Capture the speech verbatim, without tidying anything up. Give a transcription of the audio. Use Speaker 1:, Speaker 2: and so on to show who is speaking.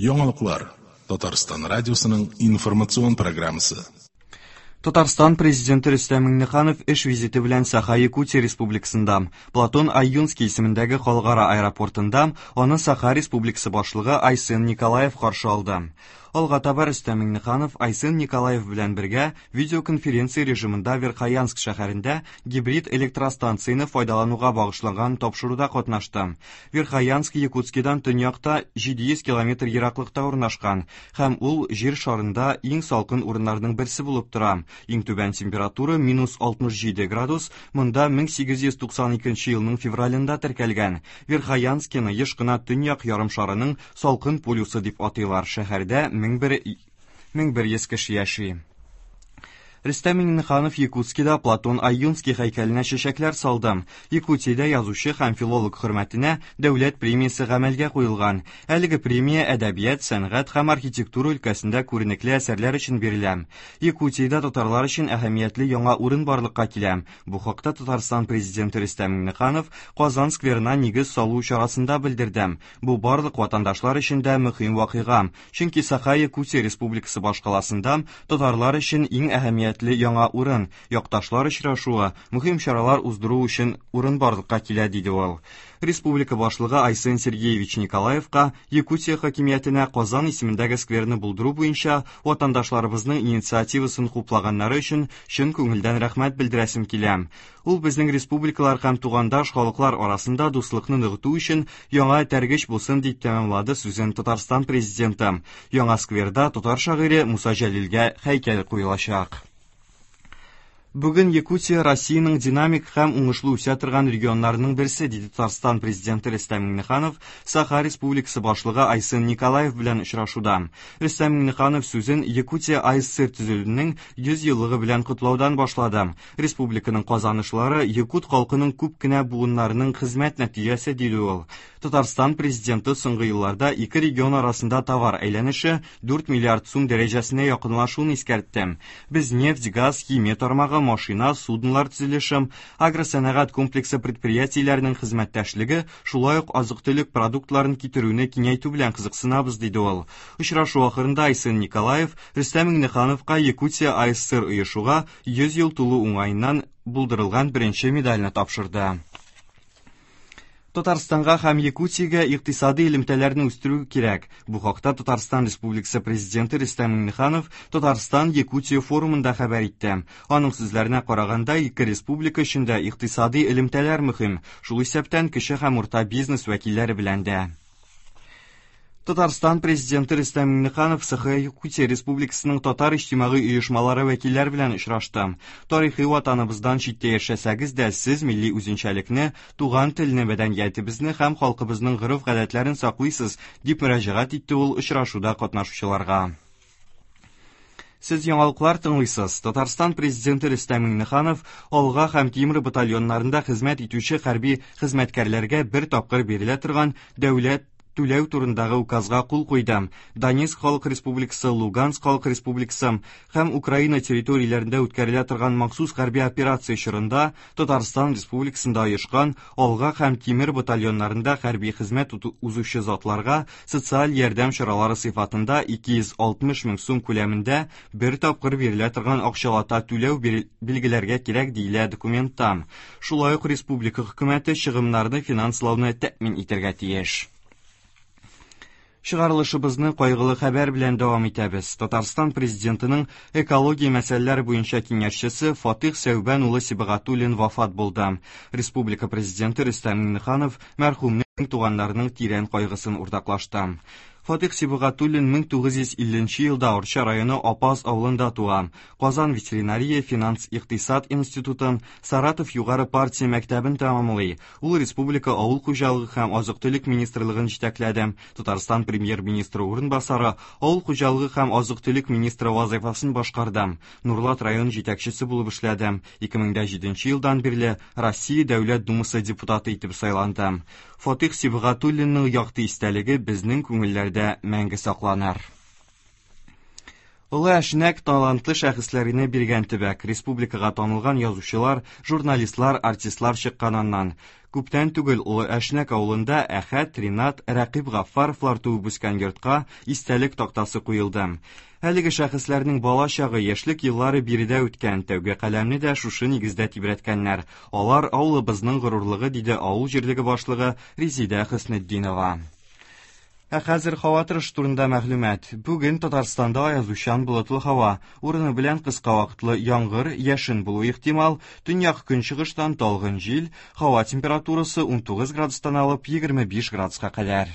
Speaker 1: Яңалыклар Татарстан радиосының информацион программасы.
Speaker 2: Татарстан президенты Рөстәм Миңнеханов эш визиты белән Саха-Якутия Республикасында, Платон Ойунский исемендәге халыкара аэропортында аны Саха Республикасы башлыгы Айсен Николаев каршы алды. Алга таба Рөстәм Миңнеханов Айсен Николаев белән бергә видеоконференция режимында Верхоянск шәһәрендә гибрид электростанцияне файдалануга багышланган тапшыруда катнашты. Верхоянск Якутскидан төньякта җиде йөз километр ераклыкта урнашкан һәм ул җир шарында иң салкын урыннарның берсе булып тора. Иң түбән температура минус алтмыш җиде градус, монда мең сигез йөз туксан икенче елның февралендә теркәлгән. Верхоянскины еш кына төньяк ярымшарының салкын полюсы дип атыйлар. Шәһәрдә мең бер, мең бер йөз кеше яши. Рөстәм Миңнеханов Якутскида Платон Ойунский һәйкәленә чәчәкләр салды. Якутиядә язучы һәм филолог хөрмәтенә дәүләт премиясе гамәлгә куелган. Әлеге премия әдәбият, сәнгать һәм архитектура өлкәсендә күренекле әсәрләр өчен бирелә. Якутиядә татарлар өчен әһәмиятле яңа урын барлыкка килә. Бу хакта Татарстан президенты Рөстәм Миңнеханов Казан скверына нигез салу чарасында белдерде. Бу барлык ватандашлар өчен дә мөһим вакыйга. Чөнки Саха-Якутия Республикасы башкаласында татарлар өчен иң әһәмиятле яңа урын, якташлар очрашуы, мөһим чаралар уздыру өчен урын барлыкка килә, диде ул. Республика башлыгы Айсен Сергеевич Николаевка Якутия хакимиятенә Казан исемендәге скверны булдыру буенча ватандашларыбызның инициативасын хуплаганнары өчен чын күңелдән рәхмәт белдерәсем килә. Ул безнең республикалар һәм тугандаш халыклар арасында дуслыкны ныгыту өчен яңа этәргеч булсын, дип тәмамлады сүзен Татарстан президенты. Яңа скверда татар шагыйре Муса Җәлилгә һәйкәл куелачак. Бүген Якутия Россиянең динамик һәм уңышлы үсә торган регионнарының берсе, диде Татарстан президенты Рөстәм Миңнеханов Саха Республикасы башлыгы Айсен Николаев белән очрашуда. Рөстәм Миңнеханов сүзен Якутия АССР төзелүенең йөз еллыгы белән котлаудан башлады. Республиканың казанышлары якут халкының күп кенә буыннарының хезмәт нәтиҗәсе, диде ул. Татарстан президенты соңгы елларда ике регион арасында товар әйләнеше дүрт миллиард сум дәрәҗәсенә якынлашуын искәртте. Без нефть, газ, химия тармагы, машина, суднолар төзелеше, агросәнәгать комплексы предприятиеләренең хезмәттәшлеге, шулай ук азык-төлек продуктларын китерүне киңәйтү белән кызыксынабыз, диде ул. Очрашу ахырында Айсен Николаев Рөстәм Миңнехановка Якутия АССР оешуга йөз ел тулу уңаеннан булдырылган беренче медальне тапшырды. Татарстанга һәм Якутиягә икътисади элемтәләрне үстерү кирәк. Бу хакта Татарстан Республикасы президенты Рөстәм Миңнеханов Татарстан Якутия форумында хәбәр итте. Аның сүзләренә караганда, ике республика өчен дә икътисади элемтәләр мөһим, шул исәптән кече һәм урта бизнес вәкилләре белән дә. Татарстан президенты Рөстәм Миңнеханов Саха-Якутия Республикасының татар иҗтимагый оешмалары вәкилләре белән очрашты. Тарихи ватаныбыздан читтә яшәсәгез дә, сез милли үзенчәлекне, туган телне, мәдәниятебезне һәм халкыбызның гореф-гадәтләрен саклыйсыз, дип мөрәҗәгать итте ул очрашуда катнашучыларга. Сез яңалыклар тыңлыйсыз. Татарстан президенты Рөстәм Миңнеханов Алга һәм Тимур батальоннарында хезмәт итүче хәрби хезмәткәрләргә бер тапкыр бирелә торган дәүләт түләү турындагы указга кул куйды. Донецк Халык Республикасы, Луганск Халык Республикасы һәм Украина территорияләрендә үткәрелә торган махсус хәрби операция чорында Татарстан Республикасында оешкан Алга һәм Тимер батальоннарында хәрби хезмәт узучы затларга социаль ярдәм чаралары сыйфатында ике йөз алтмыш мең сум күләмендә бер тапкыр бирелә торган акчалата түләү билгеләргә кирәк, диелә документта. Шулай ук республика хөкүмәте чыгымнарны финанслауны тәэмин итәргә тиеш. Чыгарылышыбызны кайгылы хәбәр белән дәвам итәбез. Татарстан президентының экология мәсьәләләре буенча киңәшчесе Фатих Сәүбән улы Сибагатуллин вафат булды. Республика президенты Рөстәм Миңнеханов мәрхүмнең туганнарының тирән кайгысын уртаклашты. Фатих Сибагатуллин мең тугыз йөз илленче елда Арча районы Апаз авылында туа. Казан ветеринария финанс икътисад институтын, Саратов югары партия мәктәбен тәмамлый. Ул республика авыл хуҗалыгы һәм азык-төлек министрлыгын җитәкләде. Татарстан премьер-министры урынбасары, авыл хуҗалыгы һәм азык-төлек министры вазыйфасын башкарды. Нурлат район җитәкчесе булып эшләде. Ике мең дә җиденче елдан бирле Россия Дәүләт Думасы депутаты итеп сайланды. Фатих Сибагатуллинның якты истәлеге безнең күңелләрдә мәңге сакланыр. Олы Әшнәк талантлы шәхесләренә биргән төбәк, республикага танылган язучылар, журналистлар, артистлар чыккан аннан. Күптән түгел Олы Әшнәк авылында Әхәт, Ринат, Рәкыйп Гаффаровлар туып үскән йортка истәлек тактасы куелды. Әлеге шәхесләрнең бала чагы, яшьлек еллары биредә үткән, тәүге каләмне дә шушы нигездә тибрәткәннәр. Алар авылыбызның горурлыгы, диде авыл җирлеге башлыгы Резидә Хөснетдинова. Ә хәзер һава торышы турында мәгълүмат. Бүген Татарстанда аязучан болытлы һава, урыны белән кыска вакытлы яңгыр, яшен булуы ихтимал, төньяк көнчыгыштан талгын җил, һава температурасы унтугыз градустан алып егерме биш градуска кадәр.